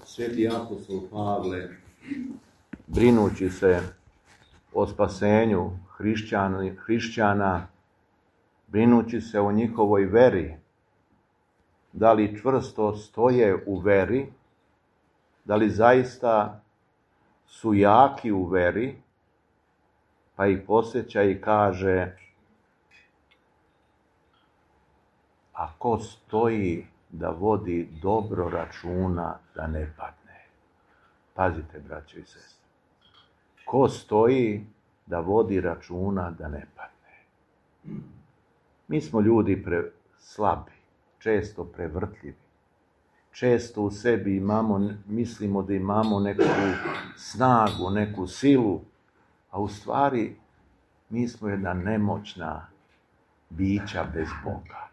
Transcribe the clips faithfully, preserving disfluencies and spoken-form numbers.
Sveti apostol Pavle, brinući se o spasenju hrišćana, hrišćana, brinući se o njihovoj veri, da li čvrsto stoje u veri, da li zaista su jaki u veri, pa ih podsjeća i kaže: a ko stoji da vodi dobro računa da ne padne. Pazite, braćo i sestre. Ko stoji da vodi računa da ne padne. Mi smo ljudi pre slabi, često prevrtljivi. Često u sebi imamo, mislimo da imamo neku snagu, neku silu, a u stvari mi smo jedna nemoćna bića bez Boga.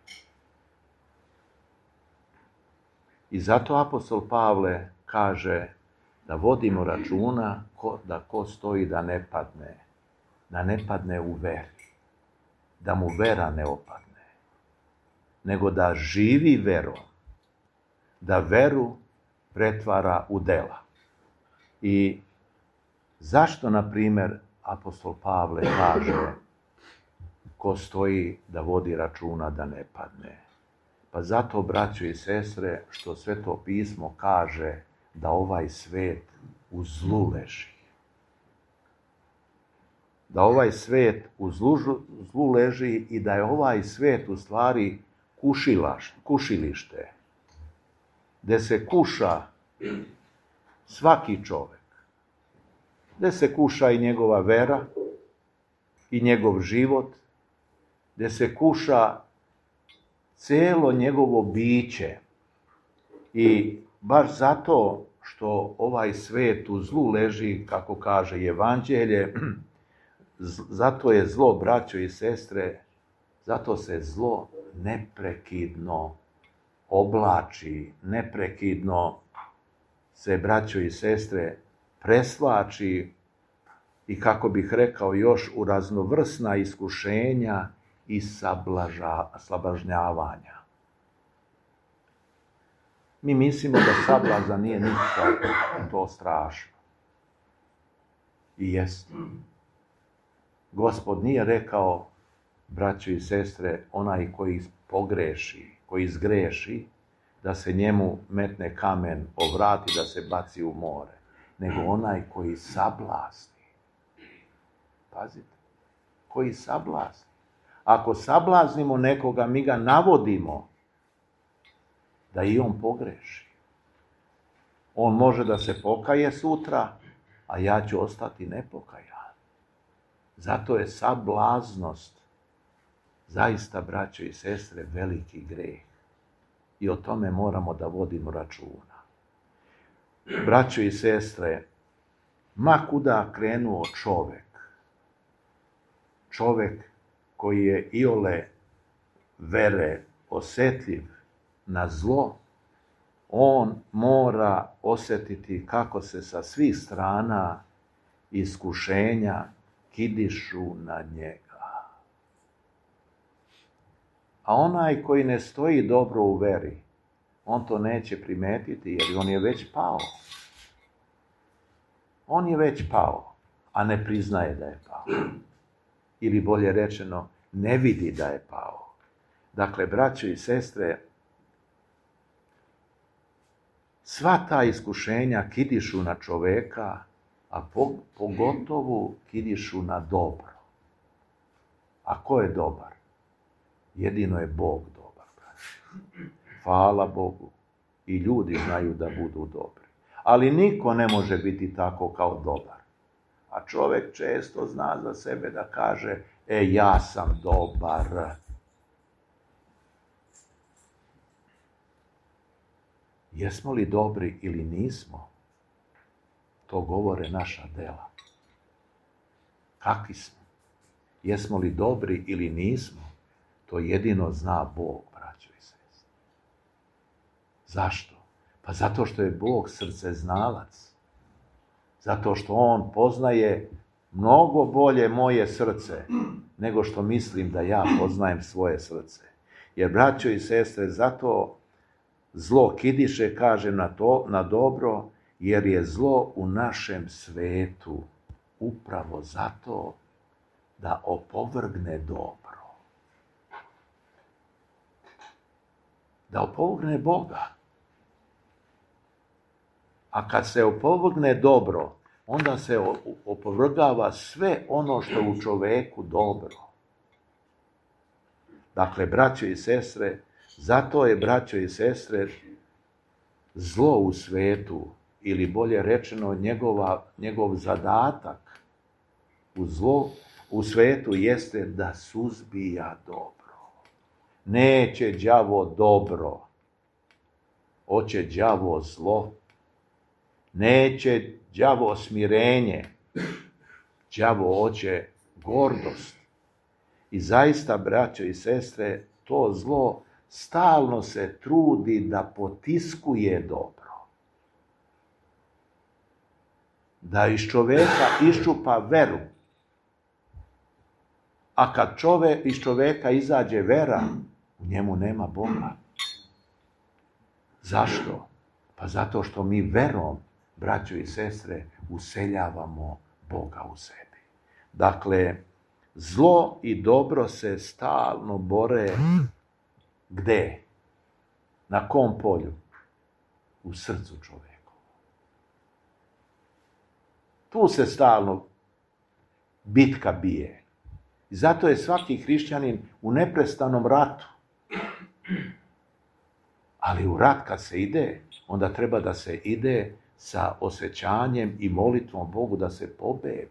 I zato apostol Pavle kaže da vodimo računa ko, da ko stoji da ne padne, da ne padne u veri, da mu vera ne opadne, nego da živi verom, da veru pretvara u dela. I zašto, na primjer, apostol Pavle kaže ko stoji da vodi računa da ne padne? Pa zato, braćo i sestre, što Sveto pismo kaže da ovaj svet u zlu leži. Da ovaj svet u zlu, zlu leži i da je ovaj svet u stvari kušilaš, kušilište, gde se kuša svaki čovek, gde se kuša i njegova vera i njegov život, gde se kuša celo njegovo biće. I baš zato što ovaj svet u zlu leži, kako kaže Evanđelje, zato je zlo, braćo i sestre, zato se zlo neprekidno oblači, neprekidno se, braćo i sestre, presvlači i, kako bih rekao, još u raznovrsna iskušenja i sablažnjavanja. Mi mislimo da sablazan nije ništa to strašno. I jest. Gospod nije rekao, braćo i sestre, onaj koji pogreši, koji zgreši, da se njemu metne kamen o vrat i da se baci u more, nego onaj koji sablazni. Pazite, koji sablazni. Ako sablaznimo nekoga, mi ga navodimo da i on pogreši. On može da se pokaje sutra, a ja ću ostati nepokajan. Zato je sablaznost zaista, braćo i sestre, veliki greh. I o tome moramo da vodimo računa. Braćo i sestre, ma kuda krenuo čovek, čovek koji je iole vere osetljiv na zlo, on mora osetiti kako se sa svih strana iskušenja kidišu na njega. A onaj koji ne stoji dobro u veri, on to neće primetiti jer on je već pao. On je već pao, a ne priznaje da je pao. Ili bolje rečeno, ne vidi da je pao. Dakle, braćo i sestre, sva ta iskušenja kidišu na čoveka, a pogotovo kidišu na dobro. A ko je dobar? Jedino je Bog dobar, braćo. Hvala Bogu. I ljudi znaju da budu dobri. Ali niko ne može biti tako kao dobar. A čovjek često zna za sebe da kaže, e, ja sam dobar. Jesmo li dobri ili nismo? To govore naša dela. Kakvi smo? Jesmo li dobri ili nismo? To jedino zna Bog, braćo i sestre. Zašto? Pa zato što je Bog srceznalac. Zato što on poznaje mnogo bolje moje srce nego što mislim da ja poznajem svoje srce. Jer, braćo i sestre, zato zlo kidiše, kaže, na, to, na dobro, jer je zlo u našem svetu upravo zato da opovrgne dobro. Da opovrgne Boga. A kad se opovrgne dobro, onda se opovrgava sve ono što u čoveku dobro. Dakle, braćo i sestre, zato je, braćo i sestre, zlo u svetu, ili bolje rečeno njegova, njegov zadatak u zlo u svetu jeste da suzbija dobro. Neće đavo dobro, hoće đavo zlo. Neće đavo smirenje, đavo hoće gordost. I zaista, braćo i sestre, to zlo stalno se trudi da potiskuje dobro. Da iz čoveka iščupa veru. A kad čove, iz čoveka izađe vera, u njemu nema Boga. Zašto? Pa zato što mi verom, braćo i sestre, useljavamo Boga u sebi. Dakle, zlo i dobro se stalno bore gde? Na kom polju? U srcu čoveka. Tu se stalno bitka bije. I zato je svaki hrišćanin u neprestanom ratu. Ali u rat kad se ide, onda treba da se ide sa osjećanjem i molitvom Bogu da se pobedi.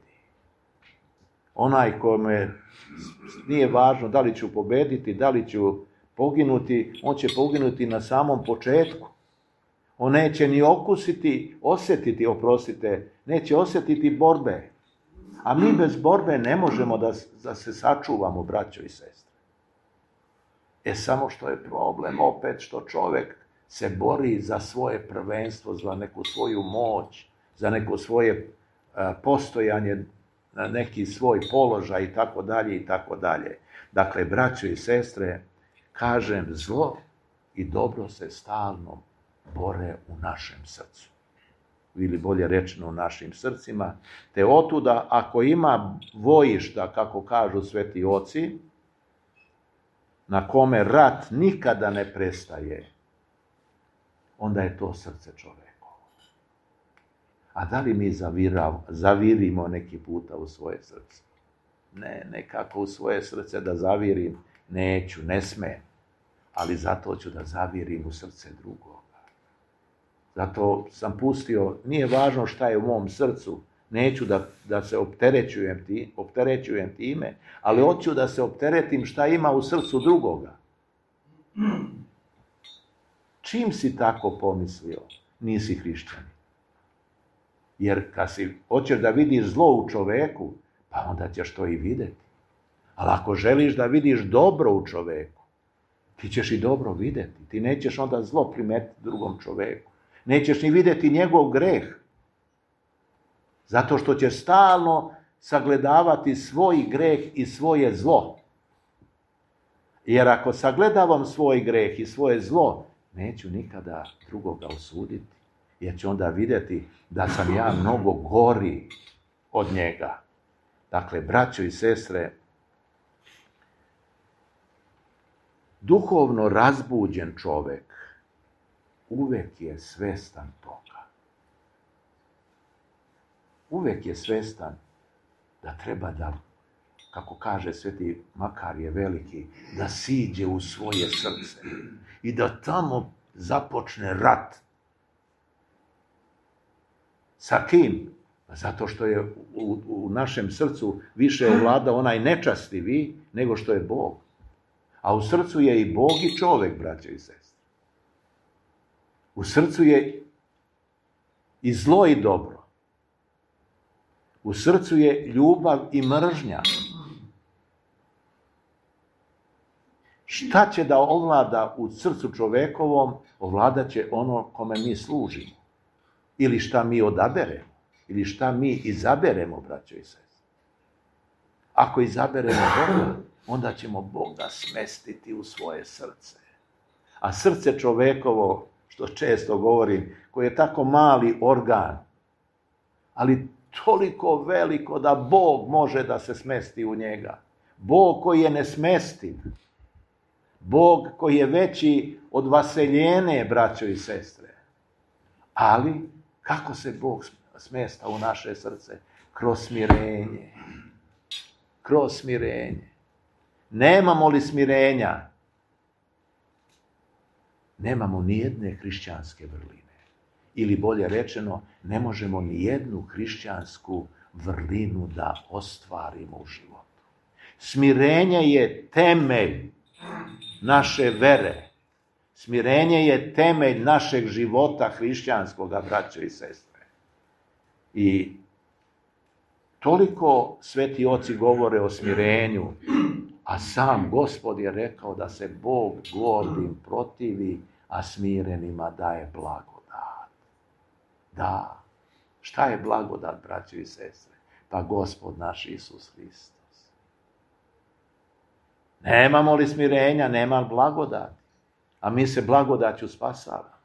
Onaj kome nije važno da li ću pobediti, da li ću poginuti, on će poginuti na samom početku. On neće ni okusiti, osjetiti, oprostite, neće osjetiti borbe. A mi bez borbe ne možemo da, da se sačuvamo, braćo i sestre. E samo što je problem opet što čovjek se bori za svoje prvenstvo, za neku svoju moć, za neko svoje a, postojanje, na neki svoj položaj i tako dalje i tako dalje. Dakle, braćo i sestre, kažem, zlo i dobro se stalno bore u našem srcu. Ili bolje rečeno u našim srcima. Te otuda, ako ima vojišta, kako kažu sveti oci, na kome rat nikada ne prestaje, onda je to srce čovjeko. A da li mi zavirav, zavirimo neki puta u svoje srce? Ne, nekako u svoje srce da zavirim neću, ne smem. Ali zato ću da zavirim u srce drugoga. Zato sam pustio, nije važno šta je u mom srcu, neću da, da se opterećujem, ti, opterećujem time, ali hoću da se opteretim šta ima u srcu drugoga. Čim si tako pomislio, nisi hrišćanin. Jer kad si hoćeš da vidiš zlo u čoveku, pa onda ćeš to i vidjeti. Ali ako želiš da vidiš dobro u čoveku, ti ćeš i dobro vidjeti. Ti nećeš onda zlo primetiti drugom čoveku. Nećeš ni vidjeti njegov greh. Zato što ćeš stalno sagledavati svoj greh i svoje zlo. Jer ako sagledavam svoj greh i svoje zlo, neću nikada drugoga osuditi. Jer ću onda vidjeti da sam ja mnogo gori od njega. Dakle, braćo i sestre, duhovno razbuđen čovjek uvek je svestan toga. Uvek je svestan da treba da, kako kaže sveti Makarije Veliki, da siđe u svoje srce i da tamo započne rat. Sa kim? Zato što je u, u našem srcu više ovlada onaj nečastivi nego što je Bog. A u srcu je i Bog i čovjek, braće i sestre. U srcu je i zlo i dobro. U srcu je ljubav i mržnja. Šta će da ovlada u srcu čovekovom, ovladat će ono kome mi služimo. Ili šta mi odaberemo. Ili šta mi izaberemo, braćo i sestre. Ako izaberemo Boga, onda ćemo Boga smestiti u svoje srce. A srce čovekovo, što često govorim, koji je tako mali organ, ali toliko veliko da Bog može da se smesti u njega. Bog koji je nesmestiv. Bog koji je veći od vaseljene, braćo i sestre. Ali, kako se Bog smesta u naše srce? Kroz smirenje. Kroz smirenje. Nemamo li smirenja? Nemamo ni jedne hrišćanske vrline. Ili bolje rečeno, ne možemo ni jednu hrišćansku vrlinu da ostvarimo u životu. Smirenje je temelj naše vere. Smirenje je temelj našeg života hrišćanskoga, braćo i sestre. I toliko sveti oci govore o smirenju, a sam Gospod je rekao da se Bog gordim protivi, a smirenima daje blagodat. Da. Šta je blagodat, braćo i sestre? Pa Gospod naš Isus Hristos. Nemamo li smirenja, nema blagodati. A mi se blagodaću spasavamo.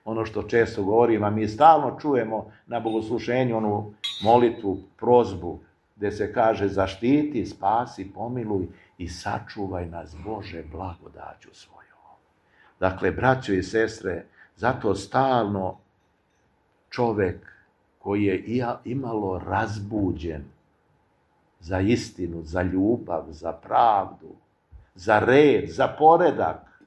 Ono što često govorim, a mi stalno čujemo na bogosluženju onu molitvu, prozbu, gdje se kaže zaštiti, spasi, pomiluj i sačuvaj nas, Bože, blagodaću svojom. Dakle, braćo i sestre, zato stalno čovjek koji je imalo razbuđen za istinu, za ljubav, za pravdu, za red, za poredak,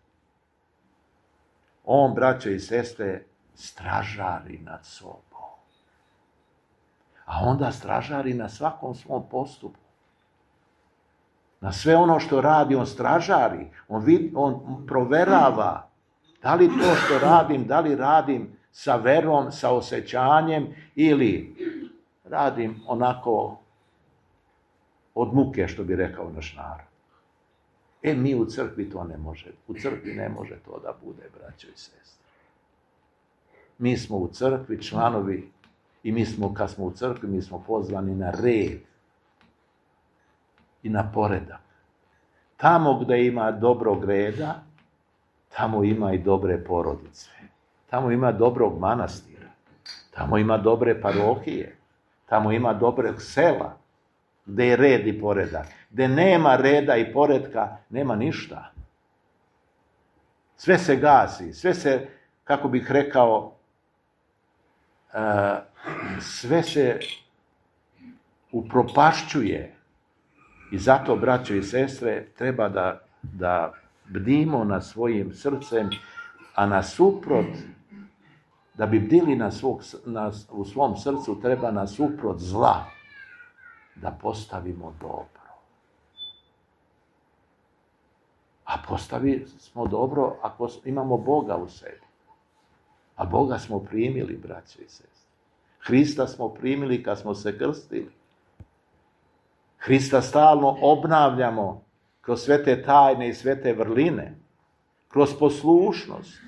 on, braćo i sestre, stražari nad sobom. A onda stražari na svakom svom postupku. Na sve ono što radi, on stražari. On, vid, on proverava da li to što radim, da li radim sa verom, sa osjećanjem ili radim onako od muke, što bi rekao naš narod. E, mi u crkvi to ne može. U crkvi ne može to da bude, braćo i sestre. Mi smo u crkvi članovi i mi smo, kad smo u crkvi, mi smo pozvani na red i na poredak. Tamo gdje ima dobrog reda, tamo ima i dobre porodice. Tamo ima dobrog manastira. Tamo ima dobre parohije. Tamo ima dobrog sela. Gdje je red i poredak. Gdje nema reda i poredka, nema ništa. Sve se gasi, sve se, kako bih rekao, sve se upropašćuje. I zato, braćo i sestre, treba da, da bdimo nad svojim srcem, a nasuprot, da bi bdili na svog, na, u svom srcu, treba nasuprot zla da postavimo dobro. A postavi smo dobro ako imamo Boga u sebi. A Boga smo primili, braćo i sestre. Hrista smo primili kad smo se krstili. Hrista stalno obnavljamo kroz sve te tajne i sve te vrline, kroz poslušnost.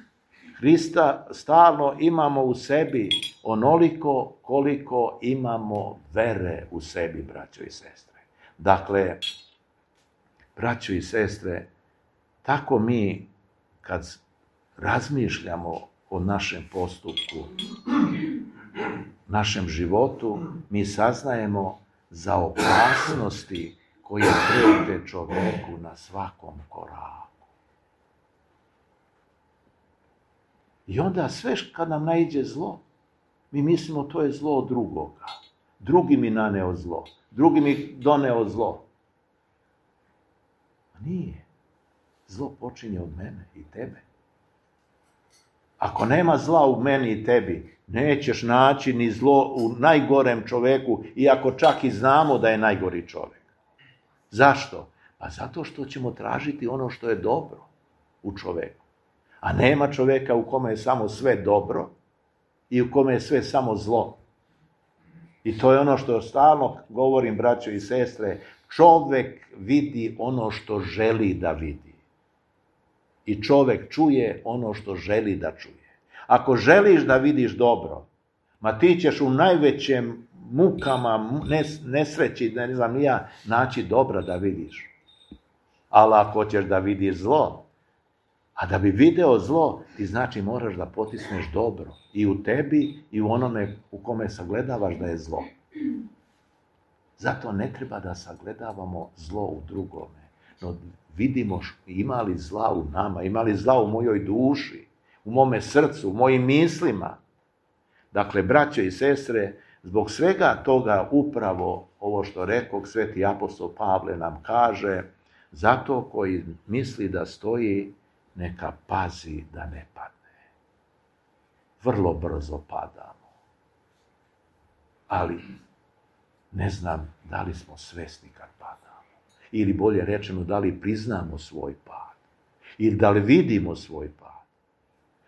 Hrista stalno imamo u sebi onoliko koliko imamo vere u sebi, braćo i sestre. Dakle, braćo i sestre, tako mi kad razmišljamo o našem postupku, našem životu, mi saznajemo za opasnosti koje prete čovjeku na svakom koraku. I onda sve kad nam naiđe zlo, mi mislimo to je zlo od drugoga. Drugi mi naneo zlo. Drugi mi doneo zlo. A nije. Zlo počinje od mene i tebe. Ako nema zla u meni i tebi, nećeš naći ni zlo u najgorem čovjeku, iako čak i znamo da je najgori čovjek. Zašto? Pa zato što ćemo tražiti ono što je dobro u čovjeku. A nema čovjeka u kome je samo sve dobro i u kome je sve samo zlo. I to je ono što stalno govorim, braćo i sestre, čovjek vidi ono što želi da vidi. I čovjek čuje ono što želi da čuje. Ako želiš da vidiš dobro, ma ti ćeš u najvećem mukama, nesreći, ne znam ni ja, naći dobro da vidiš. Ali ako hoćeš da vidiš zlo, A da bi video zlo, ti znači moraš da potisneš dobro. I u tebi i u onome u kome sagledavaš da je zlo. Zato ne treba da sagledavamo zlo u drugome. No vidimo ima li zla u nama, ima li zla u mojoj duši, u mome srcu, u mojim mislima. Dakle, braćo i sestre, zbog svega toga upravo ovo što rekao sveti apostol Pavle nam kaže, zato koji misli da stoji, neka pazi da ne padne. Vrlo brzo padamo. Ali ne znam da li smo svesni kad padamo. Ili bolje rečeno, da li priznamo svoj pad. Ili da li vidimo svoj pad.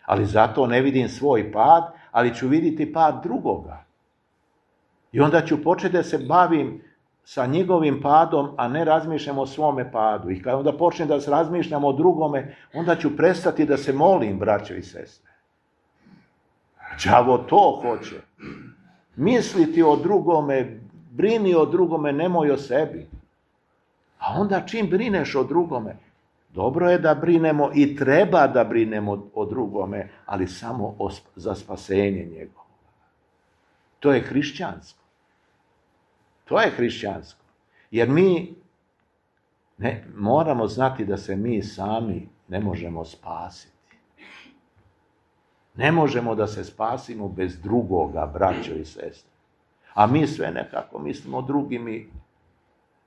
Ali zato ne vidim svoj pad, ali ću vidjeti pad drugoga. I onda ću početi da se bavim sa njegovim padom, a ne razmišljam o svome padu. I kada onda počnem da se razmišljam o drugome, onda ću prestati da se molim, braćo i sestre. Đavo to hoće. Misliti o drugome, brini o drugome, nemoj o sebi. A onda čim brineš o drugome, dobro je da brinemo i treba da brinemo o drugome, ali samo o, za spasenje njegovo. To je hrišćansko. To je hrišćansko. Jer mi ne, moramo znati da se mi sami ne možemo spasiti. Ne možemo da se spasimo bez drugoga, braćo i sestre. A mi sve nekako mislimo drugi mi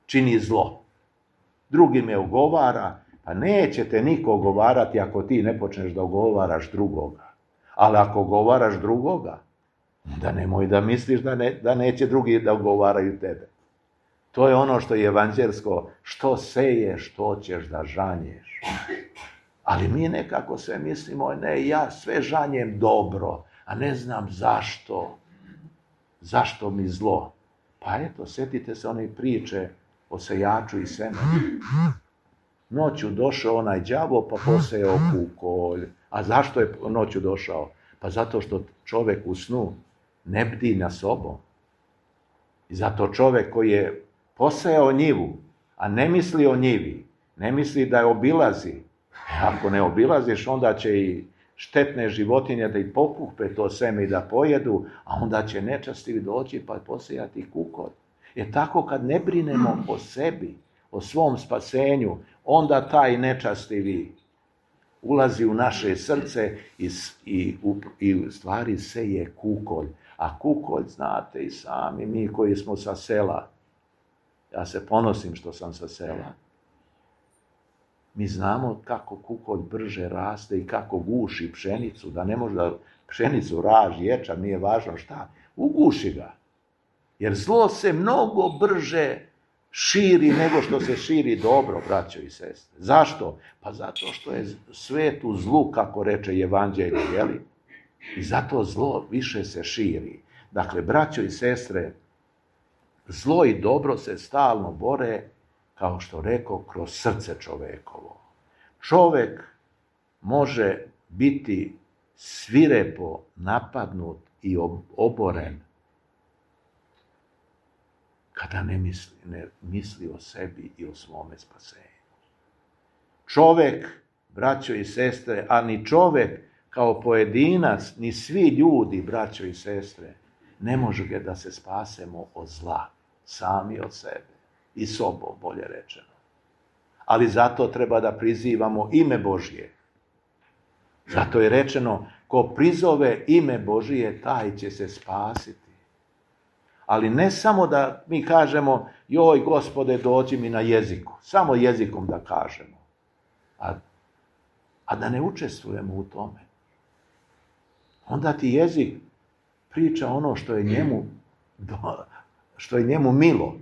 čini zlo. Drugi me ogovara, pa neće te niko ogovarati ako ti ne počneš da ogovaraš drugoga. Ali ako ogovaraš drugoga, da nemoj da misliš da, ne, da neće drugi da ogovaraju tebe. To je ono što je evanđelsko, što seješ, što ćeš da žanješ. Ali mi nekako sve mislimo, ne, ja sve žanjem dobro, a ne znam zašto. Zašto mi zlo? Pa eto, sjetite se one priče o sejaču i semenu. Noću došao onaj đavo pa posejao kukolj. A zašto je noću došao? Pa zato što čovjek u snu ne bdi na sobom. I zato čovjek koji je posejao njivu, a ne misli o njivi, ne misli da je obilazi. Ako ne obilaziš, onda će i štetne životinje da i pokupe to seme i da pojedu, a onda će nečastivi doći pa posejati kukolj. Jer tako kad ne brinemo o sebi, o svom spasenju, onda taj nečastivi ulazi u naše srce i, i, i u stvari seje kukolj. A kukolj, znate i sami, mi koji smo sa sela, ja se ponosim što sam sa sela, mi znamo kako kukolj brže raste i kako guši pšenicu, da ne može da pšenicu raži, ječam, nije važno šta, uguši ga. Jer zlo se mnogo brže širi nego što se širi dobro, braćo i sestre. Zašto? Pa zato što je svet u zlu, kako reče evanđelje, jeli? I zato zlo više se širi. Dakle, braćo i sestre, zlo i dobro se stalno bore, kao što rekao, kroz srce čovekovo. Čovek može biti svirepo napadnut i oboren kada ne misli, ne misli o sebi i o svome spasenju. Čovek, braćo i sestre, a ni čovek kao pojedinac, ni svi ljudi, braćo i sestre, ne može da se spasemo od zla, sami od sebe i sobom, bolje rečeno. Ali zato treba da prizivamo ime Božje. Zato je rečeno, ko prizove ime Božije, taj će se spasiti. Ali ne samo da mi kažemo, joj Gospode, dođi mi na jeziku, samo jezikom da kažemo, a, a da ne učestvujemo u tome. Onda ti jezik priča ono što je njemu, što je njemu milo.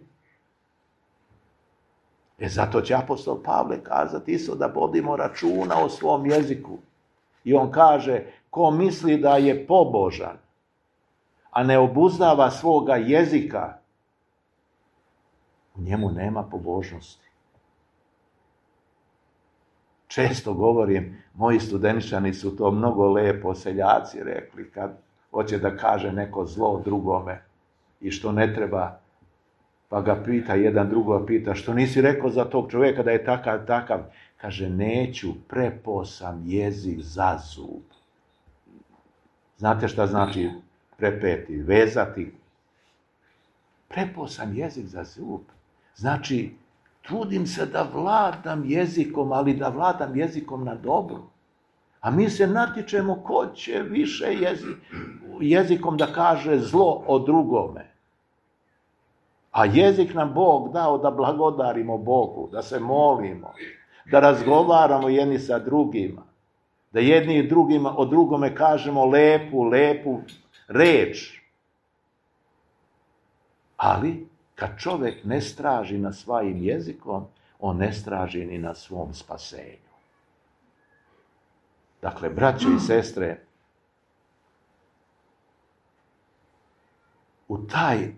E zato će apostol Pavle kazati isto da vodimo računa o svom jeziku. I on kaže, ko misli da je pobožan, a ne obuzdava svoga jezika, u njemu nema pobožnosti. Često govorim, moji studeničani su to mnogo lepo seljaci rekli, kad hoće da kaže neko zlo drugome i što ne treba Pa ga pita, jedan drugo pita, što nisi rekao za tog čovjeka da je takav, takav? Kaže, neću, prepao sam jezik za zub. Znate šta znači prepeti, vezati? Prepao sam jezik za zub. Znači, trudim se da vladam jezikom, ali da vladam jezikom na dobro. A mi se natječemo ko će više jezik, jezikom da kaže zlo o drugome. A jezik nam Bog dao da blagodarimo Bogu, da se molimo, da razgovaramo jedni sa drugima, da jedni i drugima o drugome kažemo lepu, lepu reč. Ali, kad čovjek ne straži na svojim jezikom, on ne straži ni na svom spasenju. Dakle, braćo i sestre, u taj,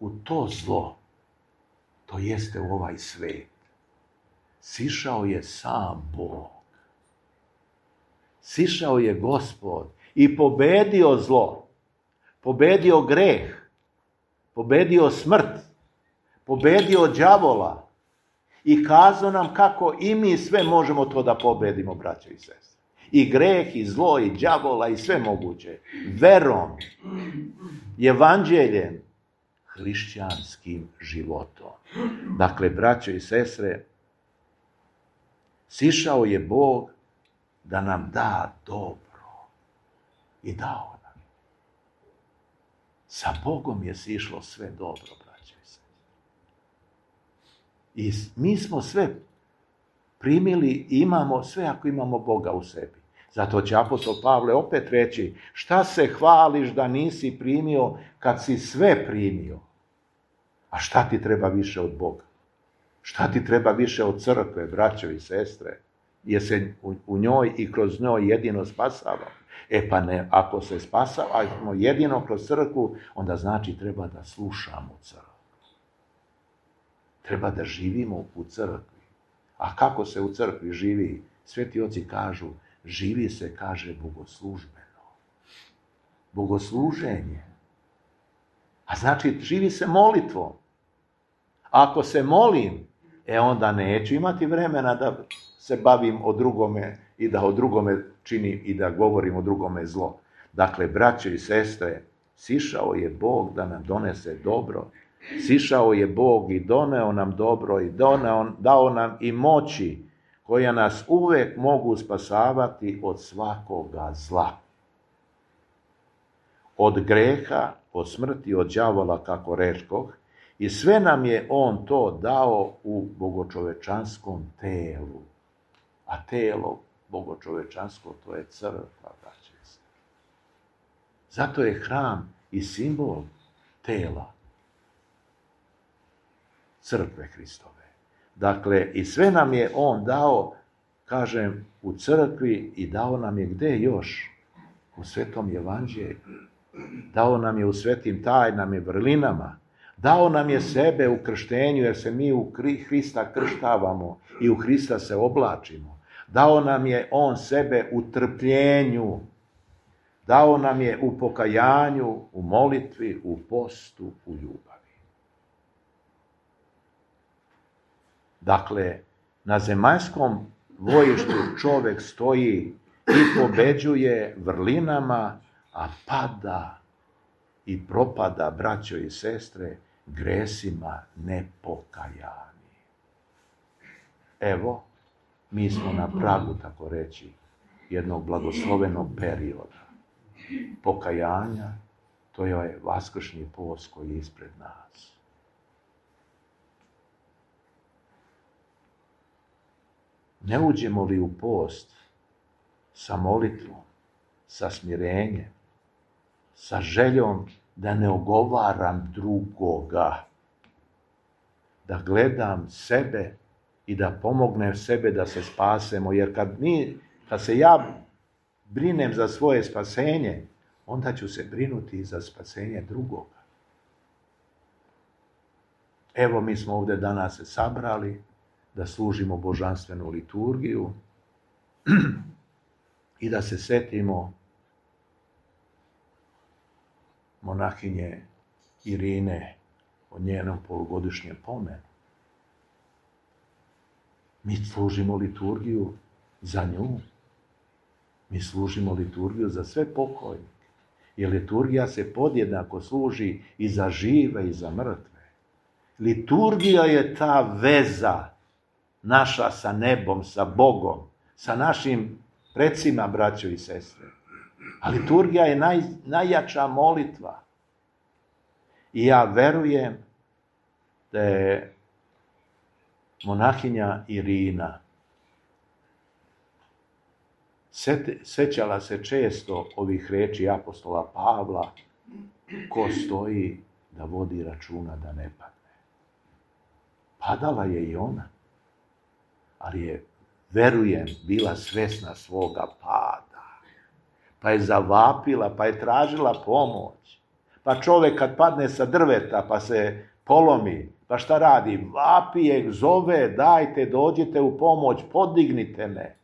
u to zlo, to jeste u ovaj svet, sišao je sam Bog. Sišao je Gospod i pobedio zlo, pobedio greh, pobedio smrt, pobedio đavola i kazao nam kako i mi sve možemo to da pobedimo, braćo i sestre. I greh, i zlo, i đavola, i sve moguće. Verom, evanđeljem, hrišćanskim životom. Dakle, braćo i sestre, sišao je Bog da nam da dobro. I dao nam. Sa Bogom je sišlo sve dobro, braćo i sestre. I mi smo sve primili, imamo sve ako imamo Boga u sebi. Zato će apostol Pavle opet reći, šta se hvališ da nisi primio kad si sve primio? A šta ti treba više od Boga? Šta ti treba više od crkve, braćo i sestre? Jer se u, u njoj i kroz njoj jedino spasavamo. E pa ne, ako se spasavamo jedino kroz crkvu, onda znači treba da slušamo crkvu. Treba da živimo u crkvi. A kako se u crkvi živi? Sveti oci kažu, živi se, kaže, bogoslužbeno. Bogosluženje. A znači, živi se molitvom. Ako se molim, e onda neću imati vremena da se bavim o drugome i da o drugome činim i da govorim o drugome zlo. Dakle, braćo i sestre, sišao je Bog da nam donese dobro. Sišao je Bog i doneo nam dobro i doneo, dao nam i moći koja nas uvek mogu spasavati od svakoga zla. Od greha, od smrti, od đavola, kako rečkoh, i sve nam je on to dao u bogočovečanskom telu. A telo bogočovečansko, to je crkva, braćo i sestre. Zato je hram i simbol tela crkve Hristove. Dakle, i sve nam je on dao, kažem, u crkvi i dao nam je gde još? U svetom evanđelju. Dao nam je u svetim tajnama i vrlinama. Dao nam je sebe u krštenju, jer se mi u Hrista krštavamo i u Hrista se oblačimo. Dao nam je on sebe u trpljenju. Dao nam je u pokajanju, u molitvi, u postu, u ljubavi. Dakle, na zemaljskom bojištu čovjek stoji i pobeđuje vrlinama, a pada i propada, braćo i sestre, gresima nepokajani. Evo, mi smo na pragu, tako reći, jednog blagoslovenog perioda. Pokajanja, to je vaskršnji post koji je ispred nas. Ne uđemo li u post sa molitvom, sa smirenjem, sa željom da ne ogovaram drugoga, da gledam sebe i da pomognem sebe da se spasemo, jer kad, mi, kad se ja brinem za svoje spasenje, onda ću se brinuti i za spasenje drugoga. Evo, mi smo ovdje danas se sabrali da služimo božanstvenu liturgiju i da se setimo monahinje Irine o njenom polugodišnjem pomenu. Mi služimo liturgiju za nju. Mi služimo liturgiju za sve pokojnike. Jer liturgija se podjednako služi i za žive i za mrtve. Liturgija je ta veza naša sa nebom, sa Bogom, sa našim precima, braćo i sestre. A liturgija je naj, najjača molitva. I ja verujem da je monahinja Irina sećala se često ovih riječi apostola Pavla, ko stoji da vodi računa da ne padne. Padala je i ona, ali je, verujem, bila svjesna svoga pada. Pa je zavapila, pa je tražila pomoć. Pa čovjek kad padne sa drveta, pa se polomi, pa šta radi? Vapije, zove, dajte, dođite u pomoć, podignite me.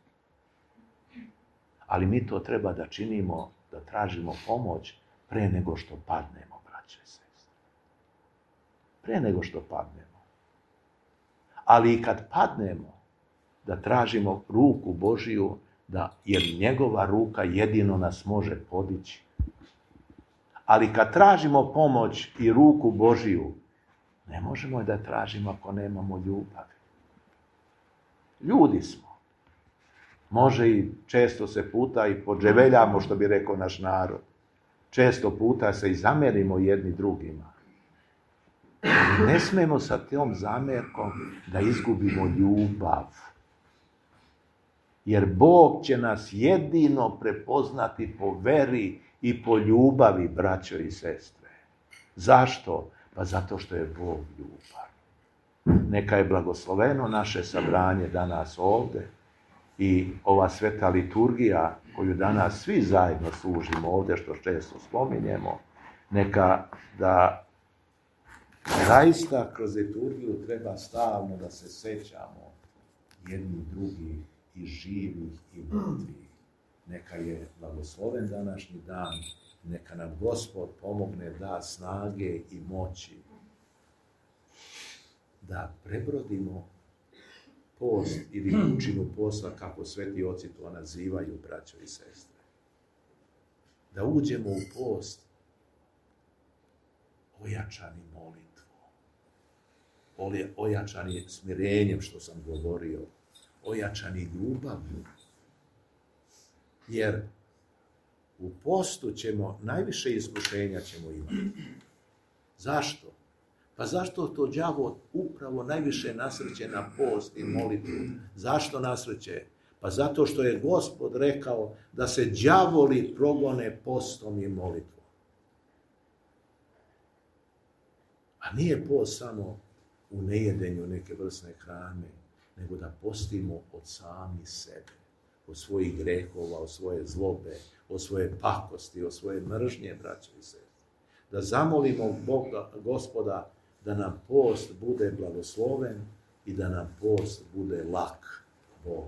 Ali mi to treba da činimo, da tražimo pomoć pre nego što padnemo, braće i sestre. Pre nego što padnemo. Ali i kad padnemo, da tražimo ruku Božiju, da, jer njegova ruka jedino nas može podići. Ali kad tražimo pomoć i ruku Božiju, ne možemo je da tražimo ako nemamo ljubavi. Ljudi smo. Može i često se puta i podževeljamo, što bi rekao naš narod. Često puta se i zamerimo jedni drugima. Ali ne smemo sa tom zamerkom da izgubimo ljubav. Jer Bog će nas jedino prepoznati po veri i po ljubavi, braćo i sestre. Zašto? Pa zato što je Bog ljubav. Neka je blagosloveno naše sabranje danas ovdje i ova sveta liturgija koju danas svi zajedno služimo ovdje, što često spominjemo, neka da zaista kroz liturgiju treba stalno da se sećamo jedni drugih i živih i mrtvih. Neka je blagosloven današnji dan, neka nam Gospod pomogne, da snage i moći da prebrodimo post ili učinu posla, kako sveti oci to nazivaju, braćo i sestre. Da uđemo u post ojačani molitvom, ojačani smirenjem, što sam govorio, ojačani ljubavlju. Jer u postu ćemo, najviše iskušenja ćemo imati. Zašto? Pa zašto to đavo upravo najviše nasreće na post i molitvu? Zašto nasreće? Pa zato što je Gospod rekao da se đavoli progone postom i molitvom. A nije post samo u nejedenju neke vrstne hrane, nego da postimo od sami sebe, od svojih grehova, od svoje zlobe, od svoje pakosti, od svoje mržnje, braćo i sestre. Da zamolimo Boga, Gospoda, da nam post bude blagosloven i da nam post bude lak. Bog.